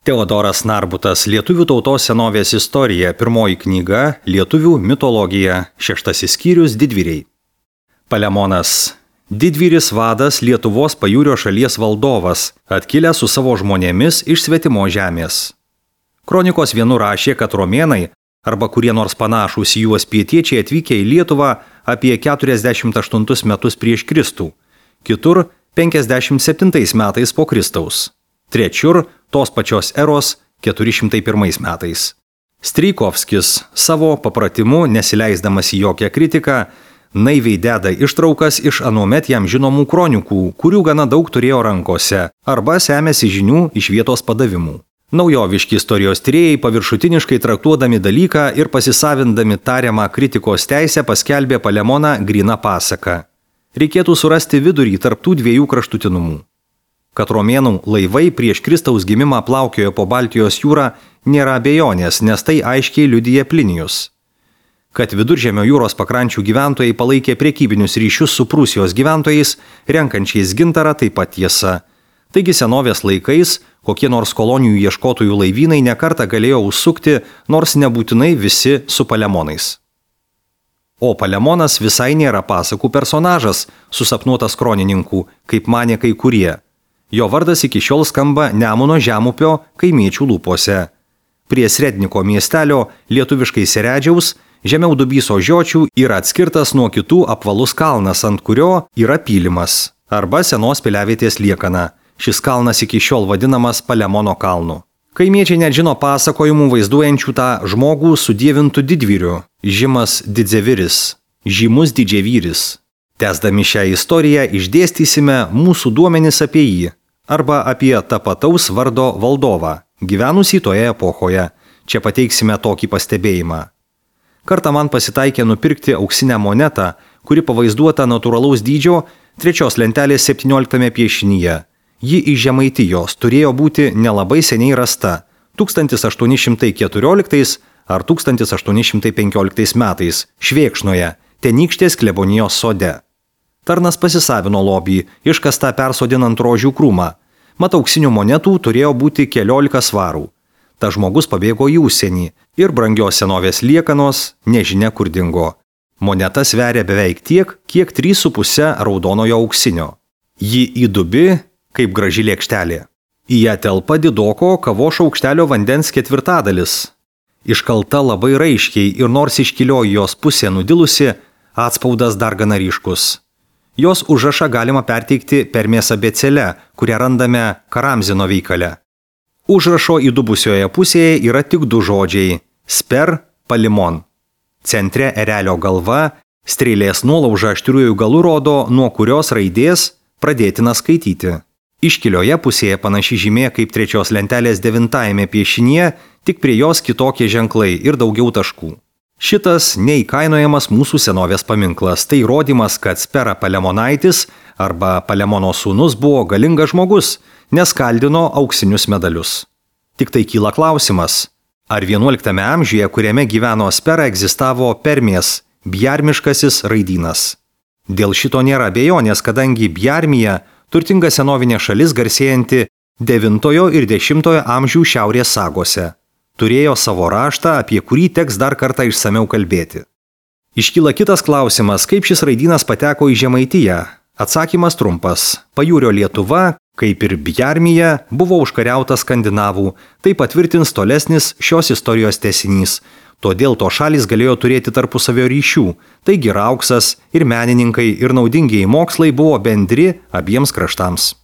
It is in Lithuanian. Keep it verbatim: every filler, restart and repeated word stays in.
Teodoras Narbutas, Lietuvių tautos senovės istorija, pirmoji knyga, Lietuvių mitologija, šeštasis skyrius, didvyriai. Palemonas. Didvyris vadas Lietuvos pajūrio šalies valdovas, atkilęs su savo žmonėmis iš svetimo žemės. Kronikos vienu rašė, kad romėnai, arba kurie nors panašūs į juos pietiečiai atvykę į Lietuvą apie keturiasdešimt aštuntus metus prieš Kristų, kitur penkiasdešimt septintais metais po Kristaus, trečiur tos pačios eros keturi šimtai pirmais metais. Strijkovskis savo papratimu, nesileisdamas į jokią kritiką, naiviai deda ištraukas iš anuomet jam žinomų kronikų, kurių gana daug turėjo rankose, arba semėsi žinių iš vietos padavimų. Naujoviški istorijos tyrėjai paviršutiniškai traktuodami dalyką ir pasisavindami tariamą kritikos teisę paskelbė Palemoną gryną pasaką. Reikėtų surasti vidurį tarp tų dviejų kraštutinumų. Kad romėnų laivai prieš Kristaus gimimą plaukiojo po Baltijos jūrą, nėra abejonės, nes tai aiškiai liudija Plinijus. Kad Viduržemio jūros pakrančių gyventojai palaikė prekybinius ryšius su Prūsijos gyventojais, renkančiais gintarą, taip pat tiesa. Taigi senovės laikais kokie nors kolonijų ieškotojų laivynai nekartą galėjo užsukti, nors nebūtinai visi su Palemonais. O Palemonas visai nėra pasakų personažas, susapnuotas kronininkų, kaip manė kai kurie. Jo vardas iki šiol skamba Nemuno žemupio kaimiečių lūpose. Prie Sredniko miestelio, lietuviškai Seredžiaus, žemiau Dubyso žiočių yra atskirtas nuo kitų apvalus kalnas, ant kurio yra pylimas, arba senos piliavietės liekana. Šis kalnas iki šiol vadinamas Palemono kalnu. Kaimiečiai net žino pasakojimų vaizduojančių tą žmogų su dievintu didvyriu, žymas didzeviris, žymus didžiavyris. Tęsdami šią istoriją išdėstysime mūsų duomenis apie jį, arba apie tapataus vardo valdovą, gyvenusį toje epochoje. Čia pateiksime tokį pastebėjimą. Kartą man pasitaikė nupirkti auksinę monetą, kuri pavaizduota natūralaus dydžio trečios lentelės septynioliktame piešinyje. Ji iš Žemaitijos turėjo būti nelabai seniai rasta – tūkstantis aštuoni šimtai keturioliktais ar tūkstantis aštuoni šimtai penkioliktais metais Švėkšnoje, Tenykštės klebonijos sode. Tarnas pasisavino lobį, iškastą persodinant rožių krūmą. Mat auksinių monetų turėjo būti keliolika svarų. Ta žmogus pabėgo į užsienį ir brangios senovės liekanos nežinia kur dingo. Moneta sveria beveik tiek, kiek trys su puse raudonojo auksinio. Ji įdubi kaip graži lėkštelė. Į ją telpa didoko kavos šaukštelio vandens ketvirtadalis. Iškalta labai raiškiai ir nors iškilioji jos pusė nudilusi, atspaudas dar gana ryškus. Jos užrašą galima perteikti permės abėcėle, kurią randame Karamzino veikale. Užrašo įdubusioje pusėje yra tik du žodžiai – sper, palimon. Centre erelio galva, strėlės nuolauža aštriųjų galų rodo, nuo kurios raidės pradėtina skaityti. Iškilioje pusėje panaši žymė kaip trečios lentelės devintajame piešinyje, tik prie jos kitokie ženklai ir daugiau taškų. Šitas neįkainojamas mūsų senovės paminklas, tai įrodymas, kad Spera Palemonaitis arba Palemono sūnus buvo galingas žmogus, nes kaldino auksinius medalius. Tik tai kyla klausimas, ar vienuoliktame amžiuje, kuriame gyveno Spera, egzistavo Permės, bjarmiškasis raidynas. Dėl šito nėra abejonės, kadangi Bjarmija turtinga senovinė šalis garsėjanti devintojo ir dešimtojo amžių šiaurės sagose. Turėjo savo raštą, apie kurį teks dar kartą išsamiau kalbėti. Iškyla kitas klausimas, kaip šis raidynas pateko į Žemaitiją. Atsakymas trumpas. Pajūrio Lietuva, kaip ir Bjarmija, buvo užkariauta skandinavų, tai patvirtins tolesnis šios istorijos tęsinys. Todėl to šalys galėjo turėti tarpusavio ryšių, taigi ir auksas, ir menininkai, ir naudingieji mokslai buvo bendri abiems kraštams.